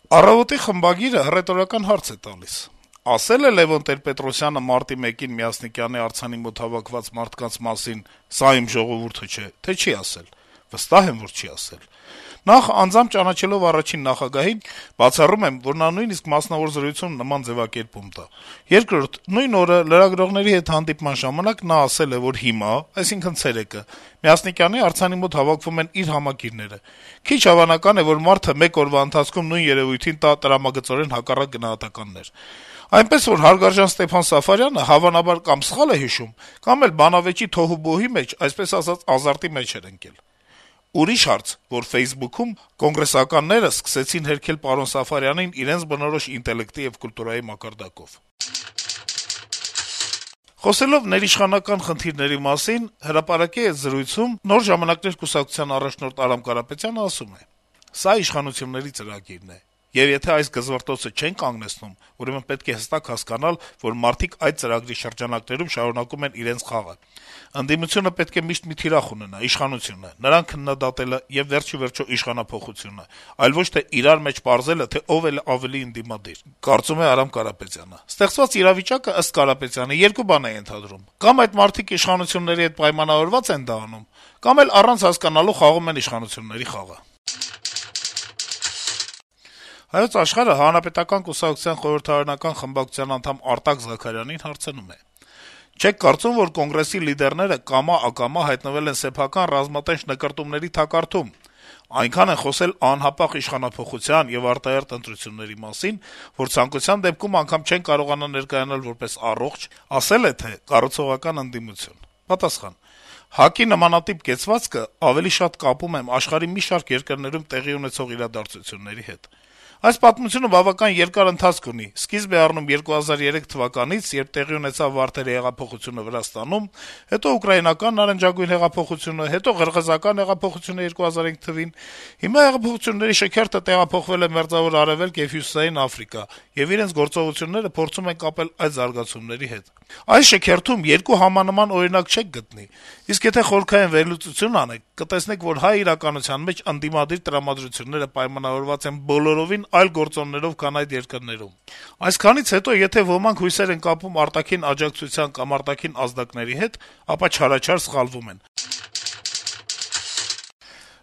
Առավոտի խմբագիրը հռետորական հարց է տալիս. - «Ասել է Լեւոն Տեր-Պետրոսյանը մարտի 1-ին Մյասնիկյանի արձանի մոտ հավաքված մարդկանց մասին՝ «սա իմ ժողովուրդը չէ», թե չի ասել»։ Վստահ եմ, որ չի ասել։ Նախ, անձամբ ճանաչելով առաջին նախագահին, բացառում եմ, որ նա նույնիսկ մասնավոր զրույցում նման ձեւակերպում տա։ Երկրորդ, նույն օրը լրագրողների հետ հանդիպման ժամանակ նա ասել է, որ հիմա, այսինքն ցերեկը, Մյասնիկյանի արձանի մոտ հավաքվում են իր համակիրները։ Քիչ հավանական է, որ մարդը մեկ օրվա ընթացքում նույն երեւույթին տա տրամագծորեն հակառակ գնահատականներ։ Այնպես որ հարգարժան Ստեփան Սաֆարյանը հավանաբար կամ սխալ է հիշում, կամ էլ բանավեճի թոհուբոհի մեջ, այսպես ասած, ազարտի մեջ էր ընկել։ Ուրիշ հարց, որ Facebook-ում կոնգրեսականները սկսեցին հերքել պարոն Սաֆարյանին իրենց բնորոշ ինտելեկտի եւ կուլտուրայի մակարդակով»։ Խոսելով ներիշխանական խնդիրների մասին, «Հրապարակ»-ի հետ զրույցում Նոր ժամանակներ կուսակցության առաջնորդ Արամ Կարապետյանը ասում է. - «Սա իշխանությունների ծրագիրն է, եւ եթե այս գզվռտոցը չեն կանգնեցնում, ուրեմն պետք է հստակ հասկանալ, որ մարդիկ այդ ծրագրի շրջանակներում շարունակում են իրենց խաղը: Ընդդիմությունը պետք է միշտ մի թիրախ ունենա՝ իշխանությունը, նրան քննադատելը եւ վերջիվերջո իշխանափոխությունը, այլ ոչ թե իրար մեջ պարզելը, թե ով է ավելի ընդդիմադիր», կարծում է Արամ Կարապետյանը: Ստեղծված իրավիճակը, ըստ Կարապետյանի, երկու բան է ենթադրում. կամ այդ մարդիկ իշխանությունների հետ պայմանավորված են դա անում, կամ էլ առանց հասկանալու խաղում են իշխանությունների խաղը: «Հայոց Աշխարհ»-ը Հանրապետական կուսակցության խորհրդարանական խմբակցության անդամ Արտակ Զաքարյանին հարցնում է. - «Չե՞ք կարծում, որ Կոնգրեսի լիդերները կամա-ակամա հայտնվել են սեփական ռազմատենչ նկրտումների թակարդում: Այնքան են խոսել անհապաղ իշխանափոխության եւ արտահերթ ընտրությունների մասին, որ ցանկության դեպքում անգամ չեն կարողանա ներկայանալ որպես առողջ, ասել է թե կառուցողական ընդդիմություն»: Պատասխան. - «ՀԱԿ-ի նմանատիպ կեցվածքը ավելի շատ կապում եմ աշխարհի մի շարք երկրներում տեղի ունեցող իրադարձությունների հետ: Այս պատմությունը բավական երկար ընթացք ունի, սկիզբ է առնում 2003 թվականից, երբ տեղի ունեցավ Վարդերի հեղափոխությունը Վրաստանում, հետո ուկրաինական նարնջագույն հեղափոխությունը, հետո ղրղըզական հեղափոխությունը 2005 թվականին, հիմա հեղափոխությունների շքերթը տեղափոխվել է Մերձավոր Արեւելք եւ Հյուսիսային Աֆրիկա, եւ իրենց գործողությունները փորձում են կապել այդ զարգացումների հետ: Այս շքերթում երկու համանման օրինակ չեք գտնի, իսկ եթե խորքային վերլուծություն անեք, կտեսնեք, որ հայ իրականության մեջ ընդդիմադիր տրամադրությունները պայմանավորված են բոլորովին այլ գործոններով, քան այդ երկրներում: Այսքանից հետո, եթե ոմանք հույսեր են կապում արտաքին աջակցության կամ արտաքին ազդակների հետ, ապա չարաչար սխալվում են»: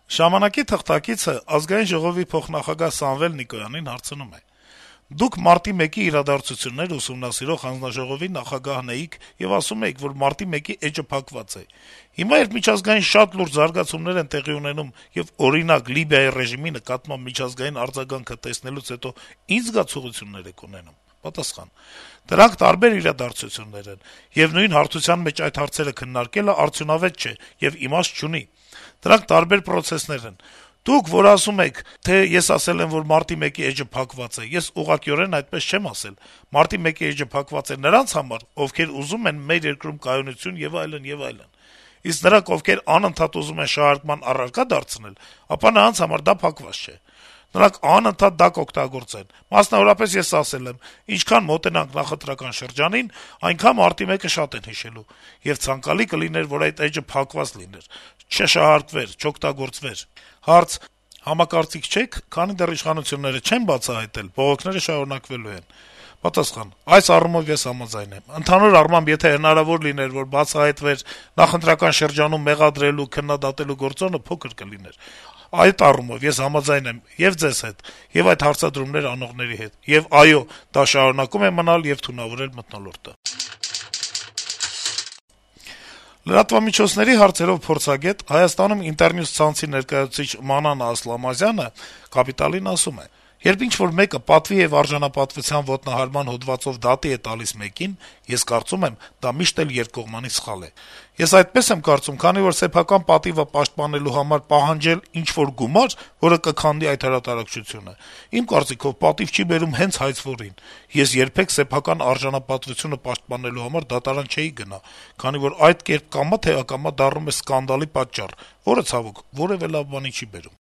«Ժամանակ»-ի թղթակիցը Ազգային ժողովի փոխնախագահ Սամվել Նիկոյանին հարցնում է. - «Դուք մարտի 1-ի իրադարձությունները ուսումնասիրող հանձնաժողովի նախագահն էիք եւ ասում էիք, որ մարտի 1-ի էջը փակված է: Հիմա, երբ միջազգային շատ լուրջ զարգացումներ են տեղի ունենում եւ, օրինակ, Լիբիայի ռեժիմի նկատմամբ միջազգային արձագանքը տեսնելուց հետո ի՞նչ զգացողություններ եք ունենում»: Պատասխան. - «Դրանք տարբեր իրադարձություններ են, եւ նույն հարթության մեջ այդ հարցերը քննարկելը արդյունավետ չէ եւ իմաստ չունի: Դրանք տարբեր պրոցեսներ են: Դուք, որ ասում եք, թե ես ասել եմ, որ մարտի 1-ի էջը փակված է, ես ուղղակիորեն այդպես չեմ ասել: Մարտի 1-ի էջը փակված է նրանց համար, ովքեր ուզում են մեր երկրում կայունություն եւ այլն, եւ այլն: Իսկ նրանք, ովքեր անընդհատ ուզում են շահարկման առարկա դարձնել, ապա նրանց համար դա փակված չէ: Նրանք անընդհատ դա կօգտագործեն: Մասնավորապես, ես ասել եմ. ինչքան մոտենանք նախընտրական շրջանին, այնքան մարտի 1-ը շատ են հիշելու: Եվ ցանկալի կլիներ, որ այդ էջը փակված լիներ, չշահարկվեր, չօգտագործվեր»: Հարց. - «Համակարծիք չե՞ք, քանի դեռ իշխանությունները չեն բացահայտել, բողոքները շարունակվելու են»: Պատասխան. - «Այս առումով ես համաձայն եմ: Ընդհանուր առմամբ, եթե հնարավոր լիներ, որ բացահայտվեր, նախընտրական շրջանում մեղադրելու, քննադատելու գործոնը փոքր կլիներ: Այդ առումով ես համաձայն եմ ե'ւ ձեզ հետ, ե'ւ այդ հարցադրումներ անողների հետ: Եվ այո, դա շարունակում է մնալ եւ թունավորել մթնոլորտը»: Լրատվամիջոցների հարցերով փորձագետ, Հայաստանում «Ինտերնյուզ» ցանցի ներկայացուցիչ Մանանա Ասլամազյանը «Կապիտալ»-ին ասում է. - «Երբ ինչ-որ մեկը պատվի եւ արժանապատվության ոտնահարման հոդվածով դատի է տալիս մեկին, ես կարծում եմ, դա միշտ էլ երկկողմանի սխալ է: Ես այդպես եմ կարծում, քանի որ սեփական պատիվը պաշտպանելու համար պահանջել ինչ-որ գումար, որը կքանդի այդ հրատարակչությունը, իմ կարծիքով պատիվ չի բերում հենց հայցվորին: Ես երբեք սեփական արժանապատվությունը պաշտպանելու համար դատարան չէի գնա, քանի որ այդ կերպ կամա թե ակամա դառնում է սկանդալի պատճառ, որը, ցավոք, որեւէ լավ բանի չի բերում»: